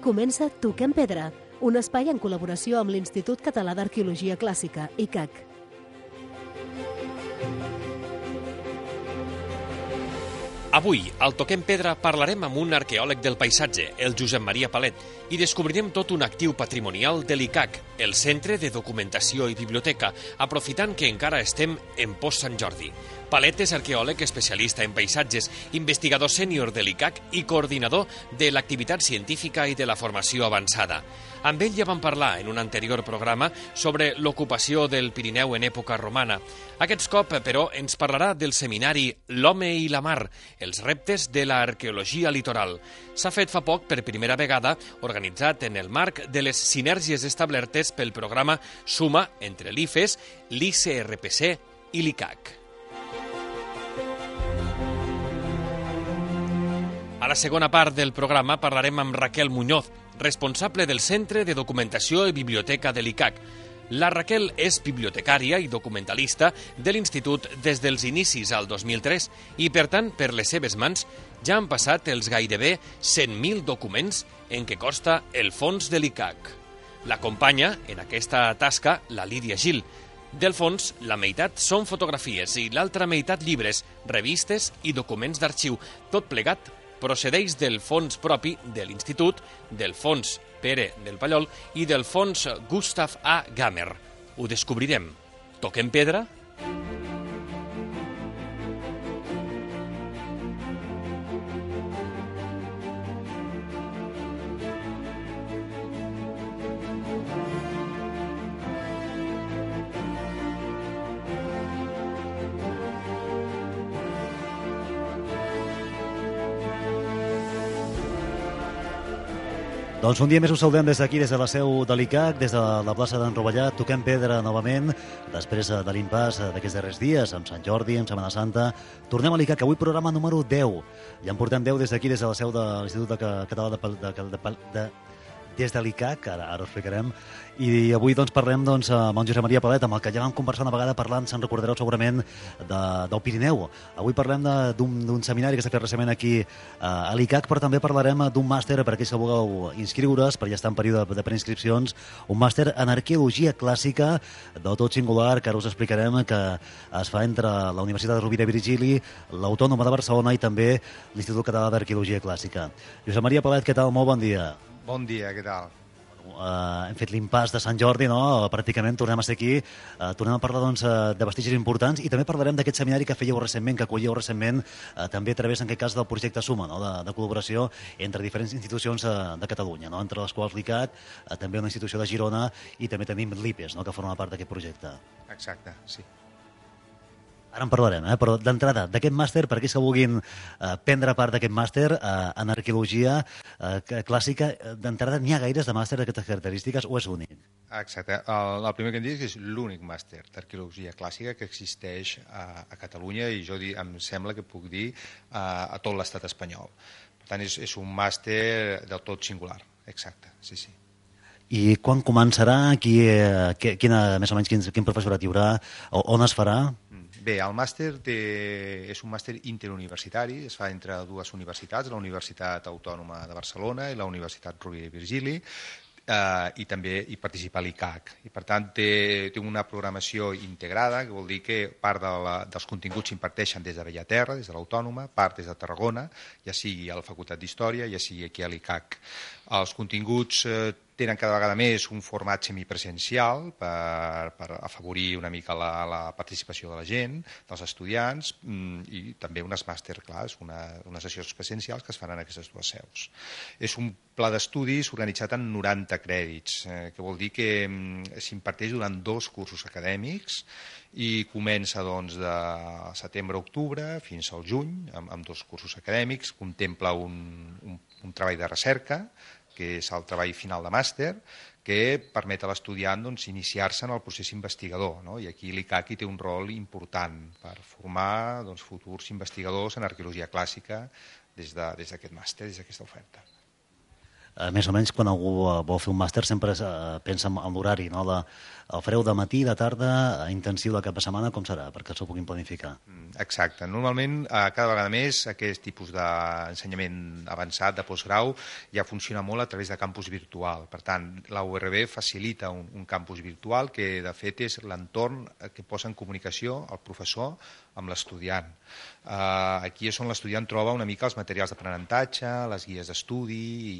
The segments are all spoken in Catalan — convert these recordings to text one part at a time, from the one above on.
Comença Toquem Pedra, un espai en col·laboració amb l'Institut Català d'Arqueologia Clàssica, ICAC. Avui, al Toquem Pedra, parlarem amb un arqueòleg del paisatge, el Josep Maria Palet, i descobrirem tot un actiu patrimonial de l'ICAC, el Centre de Documentació i Biblioteca, aprofitant que encara estem en post-Sant Jordi. Palet és arqueòleg especialista en paisatges, investigador sènior de l'ICAC i coordinador de l'activitat científica i de la formació avançada. Amb ell ja vam parlar en un anterior programa sobre l'ocupació del Pirineu en època romana. Aquest cop, però, ens parlarà del seminari L'home i la mar, els reptes de l'arqueologia litoral. S'ha fet fa poc, per primera vegada, organitzat en el marc de les sinèrgies establertes pel programa Suma entre l'IFES, l'ICRPC i l'ICAC. A la segona part del programa parlarem amb Raquel Muñoz, responsable del Centre de Documentació i Biblioteca de l'ICAC. La Raquel és bibliotecària i documentalista de l'Institut des dels inicis al 2003 i, per tant, per les seves mans ja han passat els gairebé 100.000 documents en què consta el fons de l'ICAC. L'acompanya en aquesta tasca la Lídia Gil. Del fons, la meitat són fotografies i l'altra meitat llibres, revistes i documents d'arxiu, tot plegat procedeix del fons propi de l'Institut, del fons Pere del Pallol i del fons Gustav A. Gammer. Ho descobrirem. Toquem pedra? Doncs un dia més us saludem des d'aquí, des de la seu de l'ICAC, des de la plaça d'en Rovellat. Toquem pedra novament, després de l'impàs d'aquests darrers dies, amb Sant Jordi, amb Setmana Santa. Tornem a l'ICAC, avui programa número 10. Ja en portem 10 des d'aquí, des de la seu de l'Institut Català des de l'ICAC, ara ho explicarem, i avui doncs, parlem amb en Josep Maria Palet, amb el que ja vam conversar una vegada parlant, se'n recordareu segurament, del Pirineu. Avui parlem d'un seminari que s'ha fet recentment aquí a l'ICAC, però també parlarem d'un màster per aquells que vulgueu inscriure's, perquè ja està en període de preinscripcions, un màster en arqueologia clàssica del tot singular, que ara us explicarem, que es fa entre la Universitat de Rovira i Virgili, l'Autònoma de Barcelona i també l'Institut Català d'Arqueologia Clàssica. Josep Maria Palet, què tal? Molt bon dia. Bon dia, què tal? Hem fet l'impàs de Sant Jordi, no? Pràcticament tornem a ser aquí, tornem a parlar de vestigis importants i també parlarem d'aquest seminari que fèieu recentment, que acollíeu recentment, també a través, en aquest cas, del projecte Suma, no? de col·laboració entre diferents institucions de Catalunya, no? Entre les quals l'ICAC, també una institució de Girona i també tenim l'IPES, no? Que forma part d'aquest projecte. Exacte, sí. Ara en parlarem, però d'entrada, d'aquest màster, per aquells que vulguin prendre part d'aquest màster en arqueologia clàssica, d'entrada n'hi ha gaires de màster d'aquestes característiques o és únic? Exacte. El primer que em dic és l'únic màster d'arqueologia clàssica que existeix a Catalunya i jo em sembla que puc dir a tot l'estat espanyol. Per tant, és un màster del tot singular. Exacte, sí, sí. I quan començarà? Més o menys quin professorat hi haurà? On es farà? Bé, el màster és un màster interuniversitari, es fa entre dues universitats, la Universitat Autònoma de Barcelona i la Universitat Rovira i Virgili, i també hi participa l'ICAC. I per tant té una programació integrada, que vol dir que part dels continguts s'imparteixen des de Bellaterra, des de l'Autònoma, part des de Tarragona, ja sigui a la Facultat d'Història, ja sigui aquí a l'ICAC. Els continguts tenen cada vegada més un format semipresencial per afavorir una mica la participació de la gent, dels estudiants, i també unes masterclass, unes sessions presencials que es fan en aquestes dues seus. És un pla d'estudis organitzat en 90 crèdits, que vol dir que s'imparteix durant 2 cursos acadèmics i comença de setembre a octubre fins al juny amb 2 cursos acadèmics, contempla un treball de recerca, que és el treball final de màster, que permet a l'estudiant iniciar-se en el procés investigador, no? I aquí l'ICAC té un rol important per formar futurs investigadors en arqueologia clàssica des d'aquest màster, des d'aquesta oferta. més o menys quan algú vol fer un màster sempre pensa en l'horari, no? El fareu de matí, de tarda, intensiu de cap de setmana, com serà? Perquè s'ho puguin planificar. Exacte. Normalment, cada vegada més, aquest tipus d'ensenyament avançat, de postgrau, ja funciona molt a través de campus virtual. Per tant, la URB facilita un campus virtual que, de fet, és l'entorn que posa en comunicació el professor amb l'estudiant. Aquí és on l'estudiant troba una mica els materials d'aprenentatge, les guies d'estudi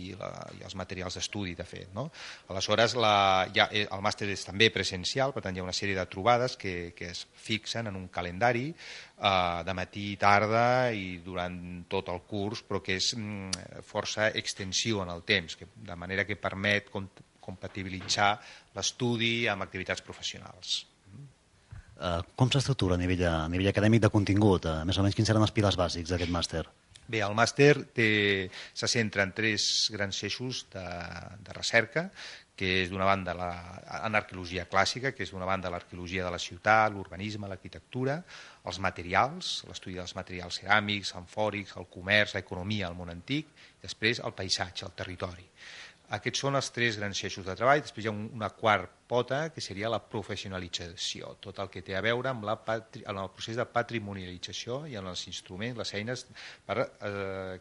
i els materials d'estudi, de fet, no? Aleshores, el màster és també presencial, per tant, hi ha una sèrie de trobades que es fixen en un calendari de matí i tarda i durant tot el curs, però que és força extensiu en el temps, de manera que permet compatibilitzar l'estudi amb activitats professionals. Com s'estructura a nivell acadèmic de contingut? Més o menys quins seran els pilars bàsics d'aquest màster? Bé, el màster se centra en 3 grans eixos de recerca, que és d'una banda en arqueologia clàssica, que és d'una banda l'arqueologia de la ciutat, l'urbanisme, l'arquitectura, els materials, l'estudi dels materials ceràmics, amfòrics, el comerç, l'economia, el món antic, i després el paisatge, el territori. Aquests són els 3 grans eixos de treball. Després hi ha una quarta pota, que seria la professionalització, tot el que té a veure amb el procés de patrimonialització i en els instruments, les eines, per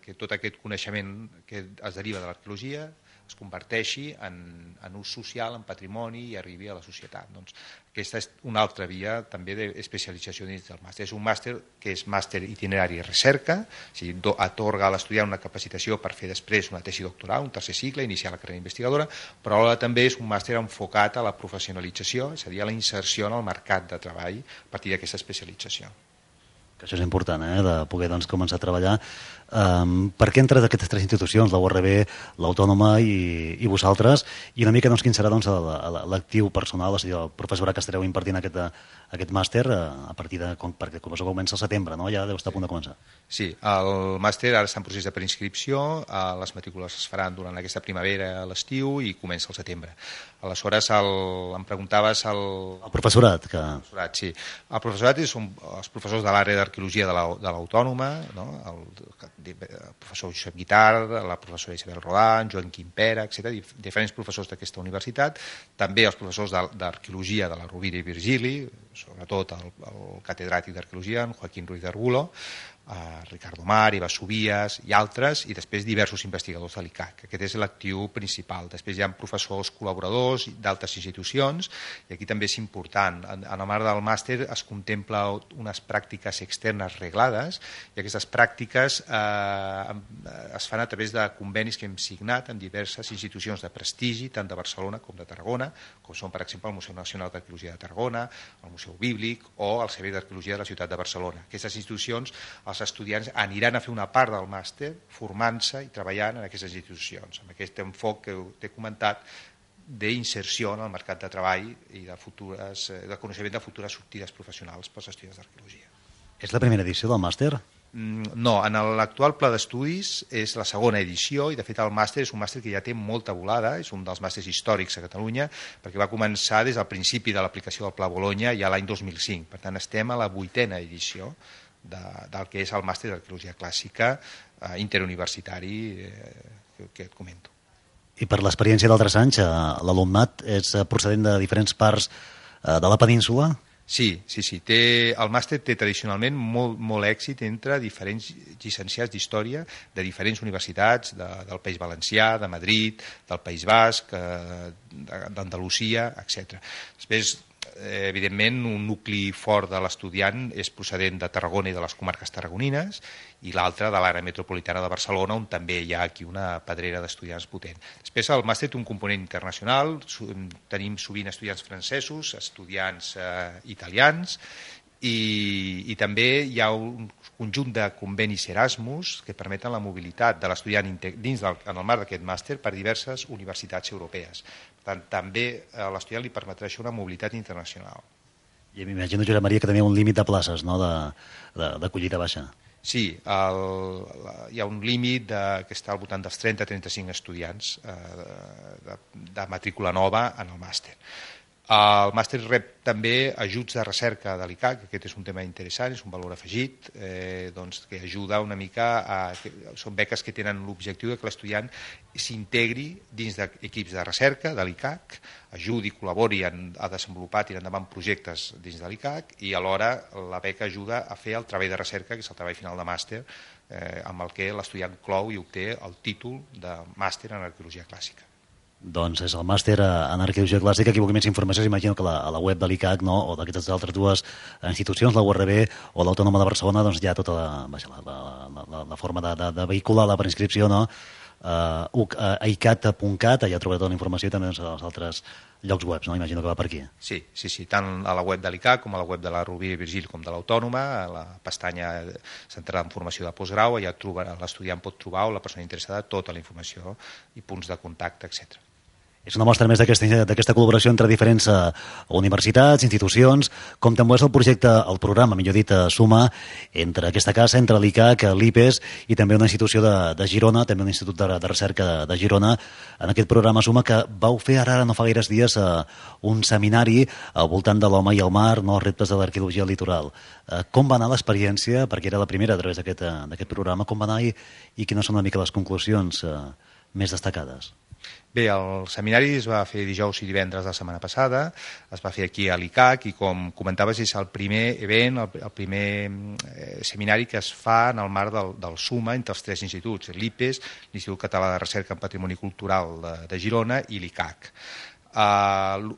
que tot aquest coneixement que es deriva de l'arqueologia es converteixi en ús social, en patrimoni i arribi a la societat. Doncs aquesta és una altra via també d'especialització dins del màster. És un màster que és màster itinerari i recerca, o sigui, atorga a l'estudiant una capacitació per fer després una tesi doctoral, un tercer cicle, iniciar la carrera investigadora, però alhora també és un màster enfocat a la professionalització, és a dir, a la inserció en el mercat de treball a partir d'aquesta especialització. Que això és important, de poder començar a treballar. Per què entre aquestes 3 institucions, la URB, l'Autònoma i vosaltres, i una mica quin serà l'actiu personal, o sigui, el professorat que estareu impartint aquest màster a partir de, perquè el professor comença al setembre, no? Ja deu estar a punt de començar. Sí, el màster ara està en procés de preinscripció, les matrícules es faran durant aquesta primavera a l'estiu i comença al setembre. Aleshores, em preguntaves... El professorat. Sí. El professorat són els professors de l'àrea d'arqueologia de l'Autònoma, no? El professor Josep Guitart, la professora Isabel Roland, Joan Quimpera, etc., diferents professors d'aquesta universitat, també els professors d'arqueologia de la Rovira i Virgili, sobretot el catedràtic d'arqueologia, en Joaquín Ruiz de Arbulo, Ricardo Mar, Eva Subias i altres, i després diversos investigadors de l'ICAC. Aquest és l'actiu principal. Després hi ha professors col·laboradors d'altres institucions, i aquí també és important. En el marc del màster es contempla unes pràctiques externes reglades, i aquestes pràctiques es fan a través de convenis que hem signat amb diverses institucions de prestigi, tant de Barcelona com de Tarragona, com són, per exemple, el Museu Nacional d'Arqueologia de Tarragona, el Museu Bíblic o el Servei d'Arqueologia de la Ciutat de Barcelona. Aquestes institucions, els estudiants aniran a fer una part del màster formant-se i treballant en aquestes institucions, amb aquest enfoc que t'he comentat d'inserció en el mercat de treball i de coneixement de futures sortides professionals pels estudiants d'arqueologia. És la primera edició del màster? No, en l'actual pla d'estudis és la segona edició, i de fet el màster és un màster que ja té molta volada, és un dels màsters històrics a Catalunya, perquè va començar des del principi de l'aplicació del Pla Bologna ja l'any 2005. Per tant, estem a la 8a edició del que és el màster d'arqueologia clàssica interuniversitari que et comento. I per l'experiència d'altres anys, l'alumnat és procedent de diferents parts de la península? Sí. El màster té tradicionalment molt èxit entre diferents llicenciats d'història de diferents universitats, del País Valencià, de Madrid, del País Basc, d'Andalusia, etc. Després, evidentment, un nucli fort de l'estudiant és procedent de Tarragona i de les comarques tarragonines, i l'altre de l'àrea metropolitana de Barcelona, on també hi ha aquí una pedrera d'estudiants potent. Després el màster té un component internacional, tenim sovint estudiants francesos, estudiants italians, i també hi ha un conjunt de convenis Erasmus que permeten la mobilitat de l'estudiant en el marc d'aquest màster per diverses universitats europees. Per tant, també a l'estudiant li permetrà això una mobilitat internacional. I m'imagino, Josep Maria, que tenia un límit de places, no?, d'acollida baixa. Sí, hi ha un límit que està al voltant dels 30-35 estudiants de matrícula nova en el màster. El màster rep també ajuts de recerca de l'ICAC, aquest és un tema interessant, és un valor afegit, que ajuda una mica són beques que tenen l'objectiu que l'estudiant s'integri dins d'equips de recerca de l'ICAC, ajudi, col·labori a desenvolupar, tirar endavant projectes dins de l'ICAC i alhora la beca ajuda a fer el treball de recerca, que és el treball final de màster, amb el que l'estudiant clou i obté el títol de màster en arqueologia clàssica. Doncs és el màster en arqueologia clàssica. Qui vulgui més informació, imagino que a la web de l'ICAC, no? O d'aquestes altres dues institucions, la URB o l'Autònoma de Barcelona, doncs hi ha tota la forma de vehicular la preinscripció, no? icat.cat, allà trobareu tota la informació i també als altres llocs webs, no? Imagino que va per aquí. Sí, tant a la web de l'ICAC com a la web de la Rovira i Virgili com de l'Autònoma, a la pestanya centrada en formació de postgrau, allà l'estudiant pot trobar, o la persona interessada, tota la informació i punts de contacte, etc. És una mostra més d'aquesta col·laboració entre diferents universitats, institucions, com també és el programa, millor dit, Suma, entre aquesta casa, entre l'ICAC, l'IPES i també una institució de Girona, també un institut de recerca de Girona, en aquest programa Suma, que vau fer ara no fa gaires dies un seminari al voltant de l'home i el mar, no, reptes de l'arqueologia litoral. Com va anar l'experiència, perquè era la primera a través d'aquest programa, com va anar i quines són una mica les conclusions més destacades? Bé, el seminari es va fer dijous i divendres de la setmana passada, es va fer aquí a l'ICAC i, com comentaves, és el primer event, el primer seminari que es fa en el marc del SUMA entre els tres instituts, l'IPES, l'Institut Català de Recerca en Patrimoni Cultural de Girona i l'ICAC. El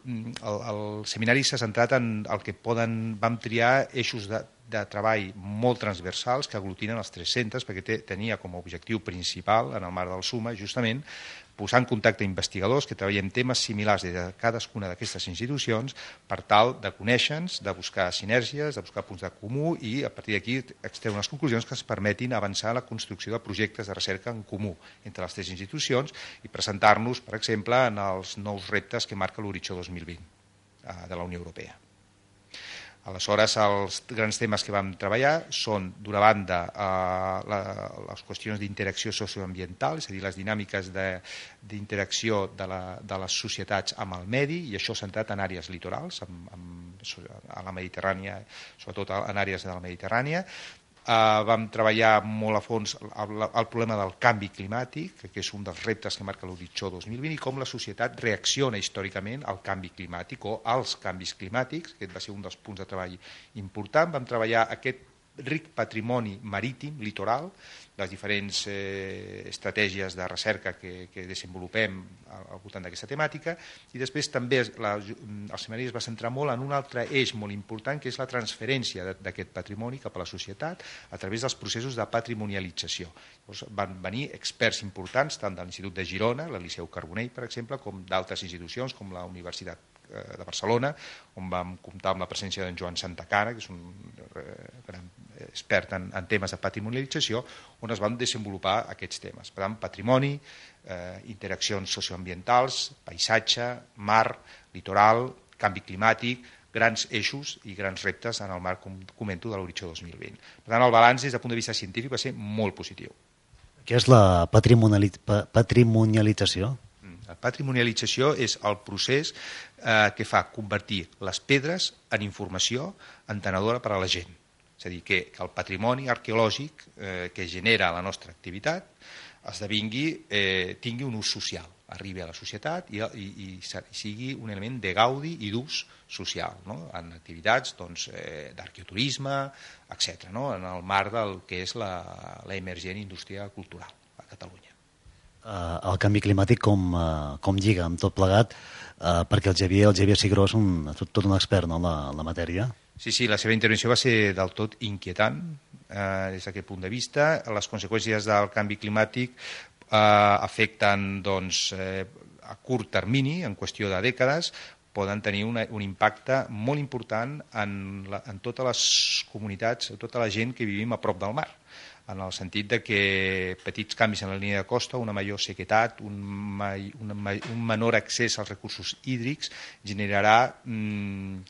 seminari s'ha centrat en el que vam triar eixos de treball molt transversals que aglutinen els tres centres, perquè tenia com a objectiu principal en el marc del SUMA justament posar en contacte investigadors que treballen temes similars des de cadascuna d'aquestes institucions per tal de conèixer-nos, de buscar sinergies, de buscar punts de comú i a partir d'aquí extreure unes conclusions que ens permetin avançar en la construcció de projectes de recerca en comú entre les tres institucions i presentar-nos, per exemple, en els nous reptes que marca l'Horitzó 2020 de la Unió Europea. Aleshores, els grans temes que vam treballar són, d'una banda, les qüestions d'interacció socioambiental, és a dir, les dinàmiques d'interacció de les societats amb el medi, i això centrat en àrees litorals, a la Mediterrània, sobretot en àrees de la Mediterrània. Vam treballar molt a fons el problema del canvi climàtic, que és un dels reptes que marca l'Horitzó 2020, i com la societat reacciona històricament al canvi climàtic o als canvis climàtics, que va ser un dels punts de treball important. Vam treballar aquest ric patrimoni marítim, litoral, les diferents estratègies de recerca que desenvolupem al voltant d'aquesta temàtica, i després també el seminari es va centrar molt en un altre eix molt important, que és la transferència d'aquest patrimoni cap a la societat a través dels processos de patrimonialització. Llavors, van venir experts importants, tant de l'Institut de Girona, el Liceu Carbonell, per exemple, com d'altres institucions, com la Universitat de Barcelona, on vam comptar amb la presència d'en Joan Santacana, que és un gran expert en temes de patrimonialització, on es van desenvolupar aquests temes. Per tant, patrimoni, interaccions socioambientals, paisatge, mar, litoral, canvi climàtic, grans eixos i grans reptes en el marc, com comento, de l'Horitzó 2020. Per tant, el balanç des del punt de vista científic va ser molt positiu. Què és la patrimonialització? La patrimonialització és el procés que fa convertir les pedres en informació entenedora per a la gent. És a dir, que el patrimoni arqueològic que genera la nostra activitat tingui un ús social, arribi a la societat i sigui un element de gaudi i d'ús social, no? En activitats d'arqueoturisme, etc., no? En el marc del que és l'emergent indústria cultural a Catalunya. El canvi climàtic com lliga amb tot plegat, perquè el Xavier Cigró és tot un expert, no, en la matèria. Sí, la seva intervenció va ser del tot inquietant des d'aquest punt de vista. Les conseqüències del canvi climàtic afecten a curt termini, en qüestió de dècades, poden tenir un impacte molt important en totes les comunitats, tota la gent que vivim a prop del mar, en el sentit de que petits canvis en la línia de costa, una major sequedat, un menor accés als recursos hídrics generarà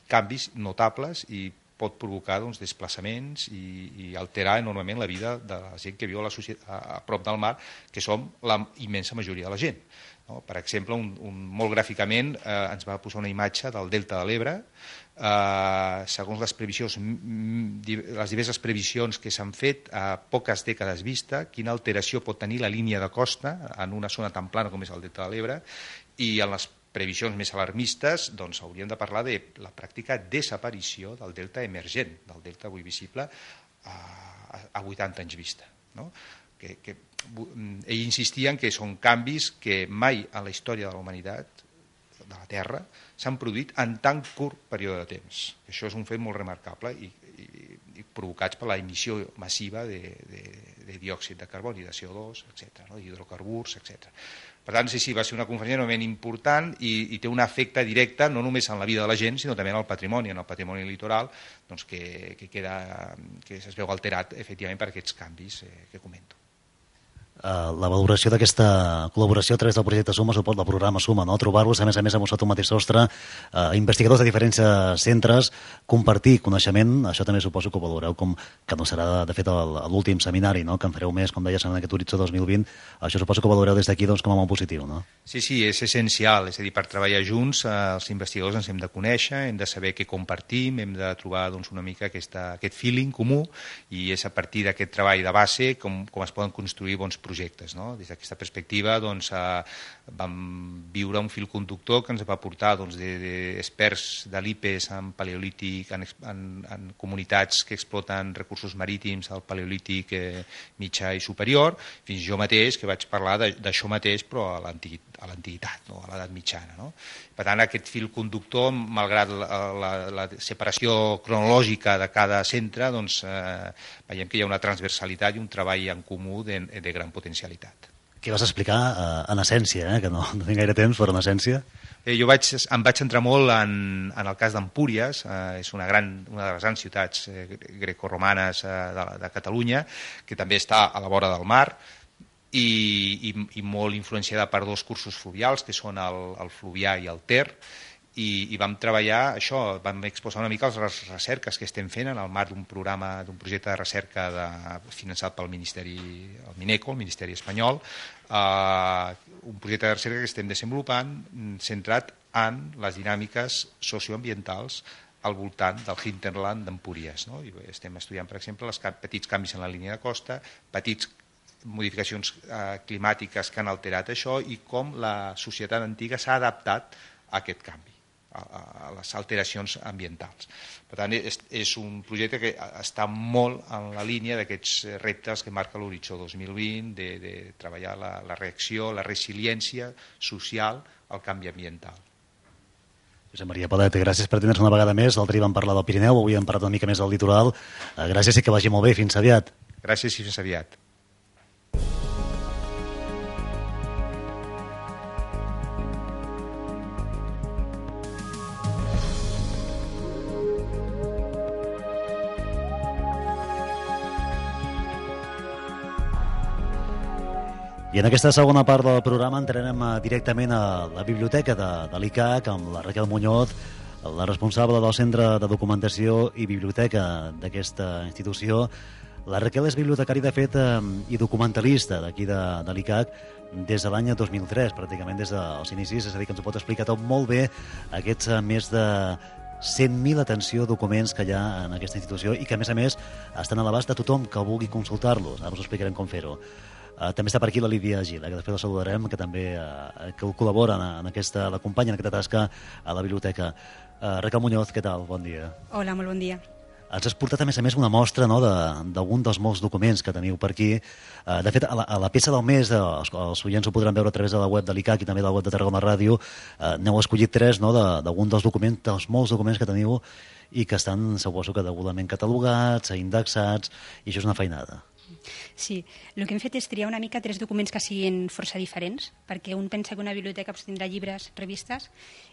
canvis notables i pot provocar desplaçaments i alterar enormement la vida de la gent que viu a prop del mar, que som la immensa majoria de la gent. No? Per exemple, molt gràficament ens va posar una imatge del Delta de l'Ebre. Segons les previsions, les diverses previsions que s'han fet a poques dècades vista, quina alteració pot tenir la línia de costa en una zona tan plana com és el Delta de l'Ebre, i en les previsions més alarmistes hauríem de parlar de la pràctica desaparició del delta emergent, del delta avui visible a 80 anys vista. No? Ell insistia en que són canvis que mai en la història de la humanitat, de la Terra, s'han produït en tan curt període de temps. Això és un fet molt remarcable i provocats per la emissió massiva de diòxid de carboni, de CO2, etc., d'hidrocarburs, etc. Per tant, sí, va ser una conferència enormement important i té un efecte directe no només en la vida de la gent, sinó també en el patrimoni litoral, que es veu alterat efectivament per aquests canvis que comento. La valoració d'aquesta col·laboració a través del projecte Suma, suport del programa Suma, no? Trobar-vos, a més amb un mateix sostre, investigadors de diferents centres, compartir coneixement, això també suposo que ho valoreu com que no serà, de fet, l'últim seminari, no? Que en fareu més, com deies, en aquest horitzó 2020, això suposo que ho valoreu des d'aquí com a molt positiu, no? Sí, és essencial, és a dir, per treballar junts els investigadors ens hem de conèixer, hem de saber què compartim, hem de trobar una mica aquest feeling comú i és a partir d'aquest treball de base com es poden construir bons projectes. No? Des d'aquesta perspectiva vam viure un fil conductor que ens va portar d'experts de l'IPES en paleolític, en comunitats que exploten recursos marítims al paleolític mitjà i superior, fins jo mateix que vaig parlar d'això mateix però a l'antiguitat, no? A l'edat mitjana. No? Per tant, aquest fil conductor, malgrat la separació cronològica de cada centre, veiem que hi ha una transversalitat i un treball en comú de gran potencialitat. Què vas explicar en essència, que no tinc gaire temps, però en essència? Jo em vaig centrar molt en el cas d'Empúries, és una de les grans ciutats grecorromanes de Catalunya, que també està a la vora del mar, i molt influenciada per dos cursos fluvials, que són el Fluvià i el Ter, i vam treballar això, vam exposar una mica les recerques que estem fent en el marc d'un projecte de recerca finançat pel Ministeri, el Mineco, el Ministeri espanyol, un projecte de recerca que estem desenvolupant centrat en les dinàmiques socioambientals al voltant del hinterland d'Empúries. No? Estem estudiant, per exemple, els petits canvis en la línia de costa, petits modificacions climàtiques que han alterat això i com la societat antiga s'ha adaptat a aquest canvi, a les alteracions ambientals. Per tant, és un projecte que està molt en la línia d'aquests reptes que marca l'horitzó 2020, de treballar la reacció, la resiliència social al canvi ambiental. Josep Maria Palet, gràcies per tenir-nos una vegada més. L'altre dia vam parlar del Pirineu, avui hem parlat una mica més del litoral. Gràcies i que vagi molt bé. Fins aviat. Gràcies i fins aviat. I en aquesta segona part del programa entrarem directament a la biblioteca de l'ICAC amb la Raquel Muñoz, la responsable del Centre de Documentació i Biblioteca d'aquesta institució. La Raquel és bibliotecària, de fet, i documentalista d'aquí de l'ICAC des de l'any 2003, pràcticament des dels inicis, és a dir, que ens ho pot explicar tot molt bé, aquests més de 100.000, atenció, documents que hi ha en aquesta institució i que, a més, estan a l'abast de tothom que vulgui consultar-los. Ara us explicarem com fer-ho. També està per aquí la Lídia Gil, que després la saludarem, que també que col·labora l'acompanya en aquesta tasca a la biblioteca. Raquel Muñoz, què tal? Bon dia. Hola, molt bon dia. Ens has portat, a més, una mostra, no, d'algun dels molts documents que teniu per aquí. De fet, a la peça del mes, els oients ho podran veure a través de la web de l'ICAC i també de la web de Tarragona Ràdio, n'heu escollit 3, no, d'algun dels documents, dels molts documents que teniu i que estan, suposo que degudament catalogats, indexats, i això és una feinada. Sí, el que hem fet és triar una mica 3 documents que siguin força diferents, perquè un pensa que una biblioteca tindrà llibres, revistes,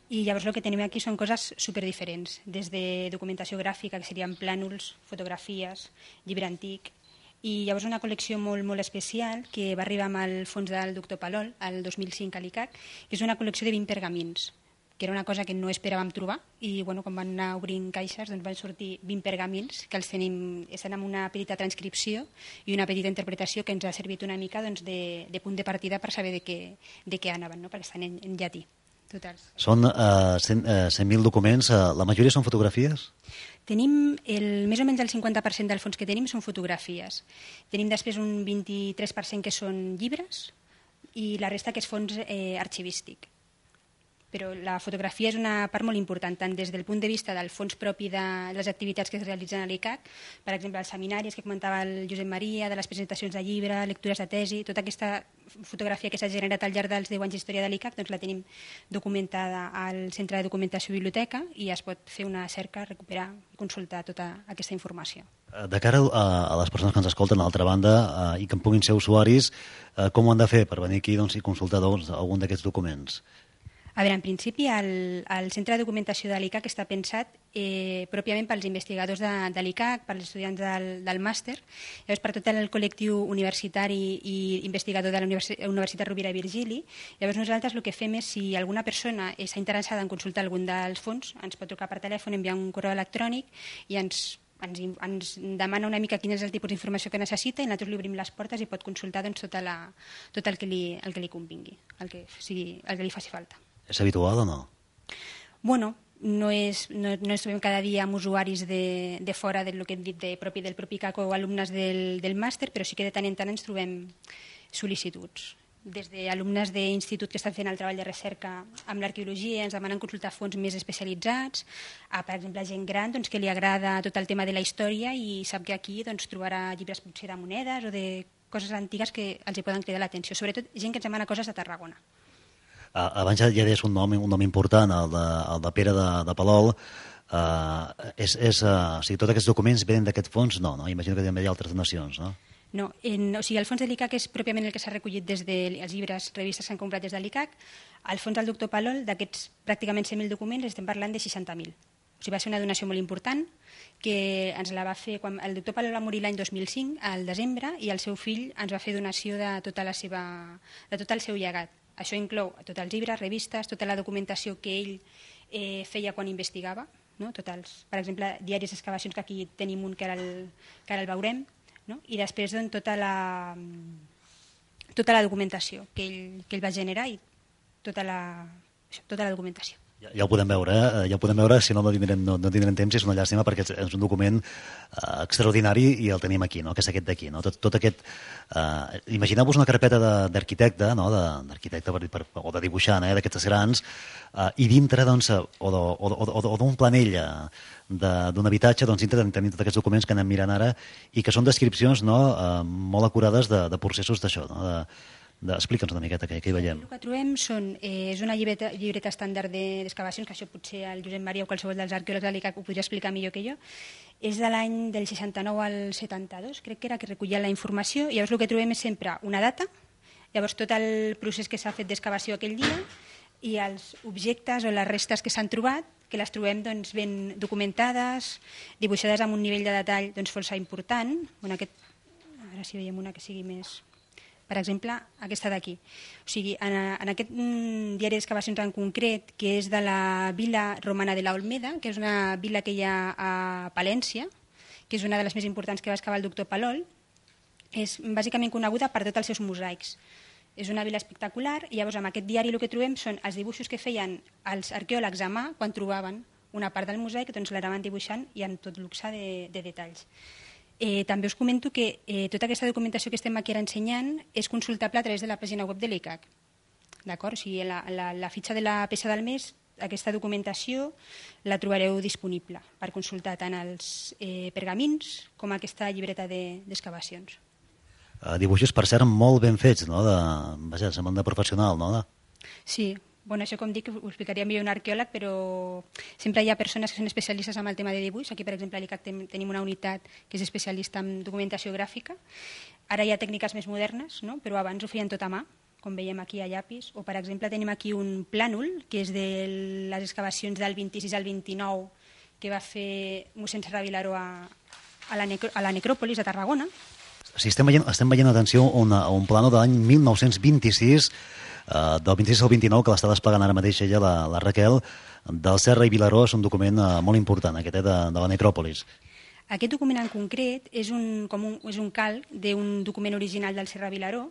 i llavors el que tenim aquí són coses superdiferents, des de documentació gràfica, que serien plànols, fotografies, llibre antic, i llavors una col·lecció molt, molt especial que va arribar amb el fons del doctor Palol, el 2005 a l'ICAC, que és una col·lecció de 20 pergamins, que era una cosa que no esperàvem trobar, i quan van anar obrint caixes van sortir 20 pergamins, que els tenim, estan amb una petita transcripció i una petita interpretació que ens ha servit una mica de punt de partida per saber de què anaven, perquè estan en llatí. Totals. Són 100.000 documents, la majoria són fotografies? Tenim més o menys el 50% del fons que tenim són fotografies. Tenim després un 23% que són llibres i la resta que és fons arxivístic. Però la fotografia és una part molt important, tant des del punt de vista del fons propi de les activitats que es realitzen a l'ICAC, per exemple, els seminaris que comentava el Josep Maria, de les presentacions de llibre, lectures de tesi, tota aquesta fotografia que s'ha generat al llarg dels 10 anys d'història de l'ICAC, doncs la tenim documentada al Centre de Documentació i Biblioteca i es pot fer una cerca, recuperar i consultar tota aquesta informació. De cara a les persones que ens escolten, a l'altra banda, i que en puguin ser usuaris, com ho han de fer per venir aquí i consultar algun d'aquests documents? A veure, en principi, el Centre de Documentació de l'ICAC està pensat pròpiament pels investigadors de l'ICAC, pels estudiants del màster, llavors per tot el col·lectiu universitari i investigador de la Universitat Rovira i Virgili. Llavors nosaltres el que fem és, si alguna persona està interessada en consultar algun dels fons, ens pot trucar per telèfon, enviar un correu electrònic i ens demana una mica quin és el tipus d'informació que necessita i nosaltres li obrim les portes i pot consultar tot el que li convingui, el que li faci falta. És habitual o no? Bueno, no ens trobem cada dia amb usuaris de fora del que hem dit del propi CAC o alumnes del màster, però sí que de tant en tant ens trobem sol·licituds. Des d'alumnes d'institut que estan fent el treball de recerca amb l'arqueologia ens demanen consultar fons més especialitzats, per exemple, gent gran que li agrada tot el tema de la història i sap que aquí trobarà llibres potser de monedes o de coses antigues que els hi poden cridar l'atenció, sobretot gent que ens demana coses de Tarragona. Abans ja deies un nom important, el de Pere de Palol. O sigui, tots aquests documents venen d'aquest fons? No, imagino que també hi ha altres donacions, no? No, o sigui, el fons de l'ICAC és pròpiament el que s'ha recollit des dels llibres, revistes que han comprat des de l'ICAC. El fons del doctor Palol, d'aquests pràcticament 100.000 documents, estem parlant de 60.000. O sigui, va ser una donació molt important que ens la va fer quan el doctor Palol va morir l'any 2005, al desembre, i el seu fill ens va fer donació de tot el seu llegat. Això inclou tots els llibres, revistes, tota la documentació que ell feia quan investigava, per exemple, diaris d'excavacions, que aquí tenim un que ara el veurem, i després tota la documentació que ell va generar i tota la documentació. Ja ho podem veure, si no tindrem temps, és una llàstima perquè és un document extraordinari i el tenim aquí, que és aquest d'aquí. Tot aquest... Imagineu-vos una carpeta d'arquitecte, o de dibuixant, d'aquestes grans, i dintre, o d'un planell d'un habitatge, dintre tenim tots aquests documents que anem mirant ara i que són descripcions molt acurades de processos d'això, Explica'ns una miqueta què hi veiem. El que trobem és una llibreta estàndard d'excavacions, que això potser el Josep Maria o qualsevol dels arqueòlegs de l'ICAC ho podria explicar millor que jo. És de l'any del 69 al 72, crec que era, que recollia la informació. Llavors el que trobem és sempre una data, llavors tot el procés que s'ha fet d'excavació aquell dia i els objectes o les restes que s'han trobat, que les trobem ben documentades, dibuixades amb un nivell de detall força important. A veure si veiem una que sigui més... Per exemple, aquesta d'aquí. O sigui, en aquest diari d'excavacions en concret, que és de la vila romana de la Olmeda, que és una vila que hi ha a Palència, que és una de les més importants que va excavar el doctor Palol, és bàsicament coneguda per tots els seus mosaics. És una vila espectacular i llavors en aquest diari el que trobem són els dibuixos que feien els arqueòlegs a mà quan trobaven una part del mosaic, l'anaven dibuixant i amb tot luxe de detalls. També us comento que tota aquesta documentació que estem aquí ara ensenyant és consultable a través de la pàgina web de l'ICAC. D'acord? O sigui, la fitxa de la peça del mes, aquesta documentació la trobareu disponible per consultar tant els pergamins com aquesta llibreta d'excavacions. Dibuixos, per cert, molt ben fets, Vaja, semblen de professional, Sí. Bueno, això, com dic, ho explicaria millor un arqueòleg, però sempre hi ha persones que són especialistes en el tema de dibuix. Aquí, per exemple, a l'ICAC tenim una unitat que és especialista en documentació gràfica. Ara hi ha tècniques més modernes, però abans ho feien tot a mà, com veiem aquí a llapis. O, per exemple, tenim aquí un plànol, que és de les excavacions del 26 al 29, que va fer mossèn Serra Vilaró a la necròpolis de Tarragona. Sí, estem veient, atenció, un plànol de l'any 1926, del 26 al 29, que l'està desplegant ara mateix ella, la Raquel, del Serra i Vilaró. És un document molt important, aquest, de la necròpolis. Aquest document en concret és un calc d'un document original del Serra Vilaró.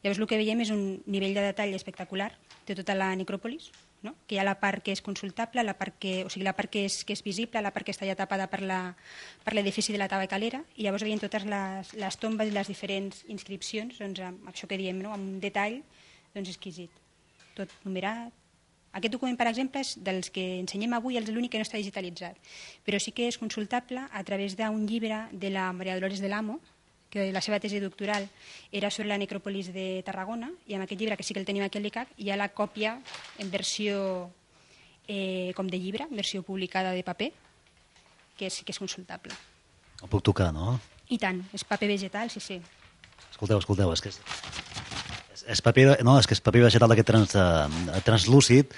Llavors el que veiem és un nivell de detall espectacular de tota la necròpolis, no? Que hi ha la part que és consultable, la part que és visible, la part que està ja tapada per l'edifici de la tabacalera, i llavors veiem totes les tombes i les diferents inscripcions, doncs, amb això que diem, no? Amb un detall exquisit, tot numerat. Aquest document, per exemple, és dels que ensenyem avui, és l'únic que no està digitalitzat, però sí que és consultable a través d'un llibre de la Maria Dolores del Amo, que la seva tesi doctoral era sobre la necròpolis de Tarragona, i amb aquest llibre, que sí que el tenim aquí al l'ICAC, hi ha la còpia en versió com de llibre, en versió publicada de paper, que sí que és consultable. El puc tocar, no? I tant, és paper vegetal, sí. Escolteu, és que és paper, no, és que és paper vegetal d'aquest translúcid,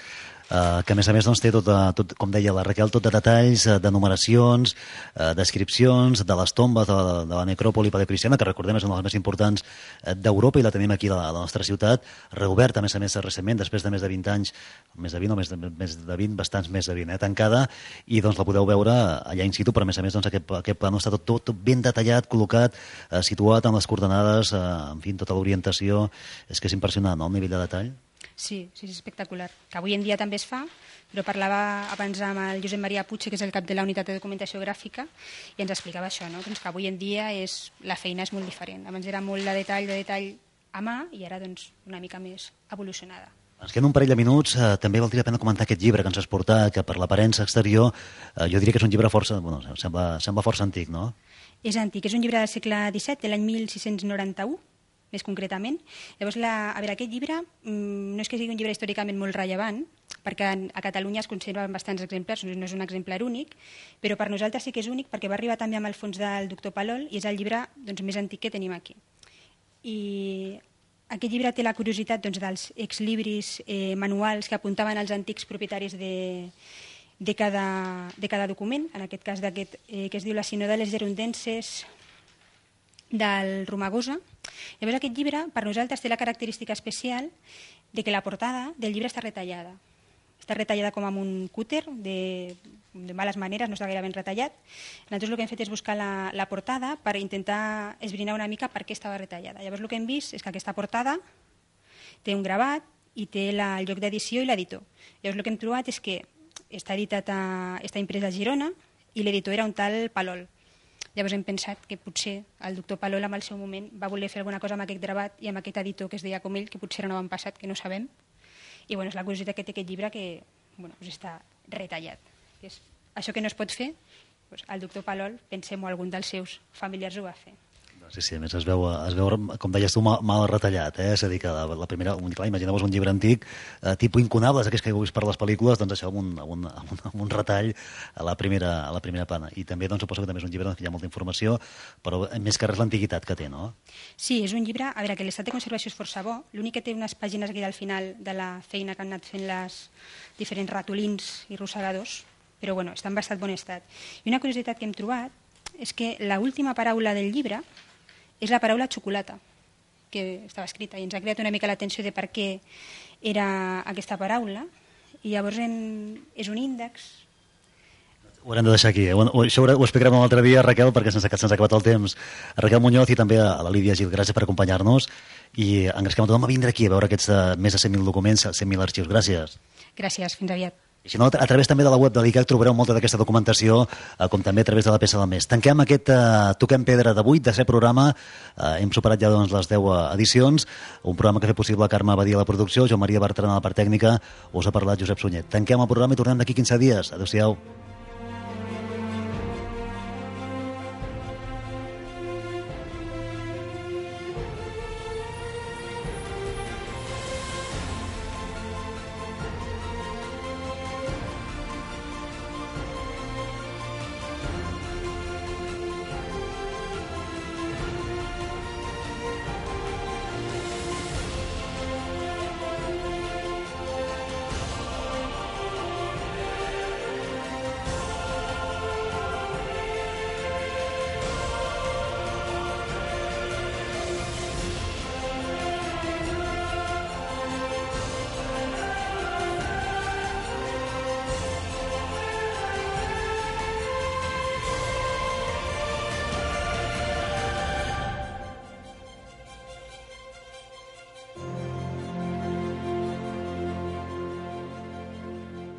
que a més té tot, com deia la Raquel, tot de detalls, de numeracions, descripcions de les tombes de la necròpoli paleocristiana, que recordem és una de les més importants d'Europa, i la tenim aquí a la nostra ciutat, reoberta a més recentment, després de més de 20 anys, més de 20, bastants més de 20, tancada, i doncs la podeu veure allà in situ, però a més aquest plano està tot ben detallat, col·locat, situat en les coordenades, en fi, tota l'orientació. És que és impressionant, no?, el nivell de detall. Sí, és espectacular. Que avui en dia també es fa, però parlava abans amb el Josep Maria Puig, que és el cap de la unitat de documentació gràfica, i ens explicava això, no? Doncs que avui en dia la feina és molt diferent. Abans era molt de detall a mà, i ara una mica més evolucionada. Ens queden un parell de minuts. També valdria la pena comentar aquest llibre que ens has portat, que per l'aparença exterior jo diria que és un llibre força, sembla força antic, no? És antic, és un llibre del segle XVII, de l'any 1691, més concretament. Llavors, aquest llibre no és que sigui un llibre històricament molt rellevant, perquè a Catalunya es conserven bastants exemplars, no és un exemplar únic, però per nosaltres sí que és únic perquè va arribar també amb el fons del doctor Palol i és el llibre més antic que tenim aquí. I aquest llibre té la curiositat dels exlibris manuals que apuntaven als antics propietaris de cada document, en aquest cas d'aquest que es diu La Sinodales Gerundenses del Romagosa. Llavors aquest llibre per nosaltres té la característica especial de que la portada del llibre està retallada. Està retallada com amb un cúter de males maneres, no està gaire ben retallat. Nosaltres el que hem fet és buscar la portada per intentar esbrinar una mica per què estava retallada. Llavors el que hem vist és que aquesta portada té un gravat i té el lloc d'edició i l'editor. Llavors el que hem trobat és que està imprès a Girona i l'editor era un tal Palol. Llavors hem pensat que potser el doctor Palol en el seu moment va voler fer alguna cosa amb aquest gravat i amb aquest editor que es deia com ell, que potser era un avantpassat, que no sabem. I és la curiositat que té aquest llibre, que està retallat. És això que no es pot fer, el doctor Palol, pensem, o algun dels seus familiars ho va fer. Sí, a més es veu, com deies tu, mal retallat, és a dir, que la primera, imagineu-vos un llibre antic, tipus incunables, aquells que heu vist per les pel·lícules, doncs això amb un retall a la primera plana. I també suposo que també és un llibre que hi ha molta informació, però més que res l'antiguitat que té, no? Sí, és un llibre, a veure, que l'estat de conservació és força bo, l'únic que té unes pàgines aquí al final de la feina que han anat fent les diferents ratolins i rossegadors, però està en bastant bon estat. I una curiositat que hem trobat és que l'última paraula del llibre és la paraula xocolata, que estava escrita, i ens ha creat una mica l'atenció de per què era aquesta paraula, i llavors és un índex. Ho haurem de deixar aquí. Això ho explicarem un altre dia, Raquel, perquè se'ns ha acabat el temps. A Raquel Muñoz i també a la Lídia Gil, gràcies per acompanyar-nos, i engresquem a tothom a vindre aquí a veure aquests més de 100.000 documents, 100.000 arxius. Gràcies. Gràcies, fins aviat. I si no, a través també de la web de l'ICAC trobareu molta d'aquesta documentació, com també a través de la peça del mes. Tanquem aquest Toquem Pedra d'avui, de ser programa. Hem superat ja les 10 edicions, un programa que ha fet possible Carme Badia a la producció, Joan Maria Bertran a la part tècnica, us ha parlat Josep Sunyer. Tanquem el programa i tornem d'aquí 15 dies. Adéu-siau.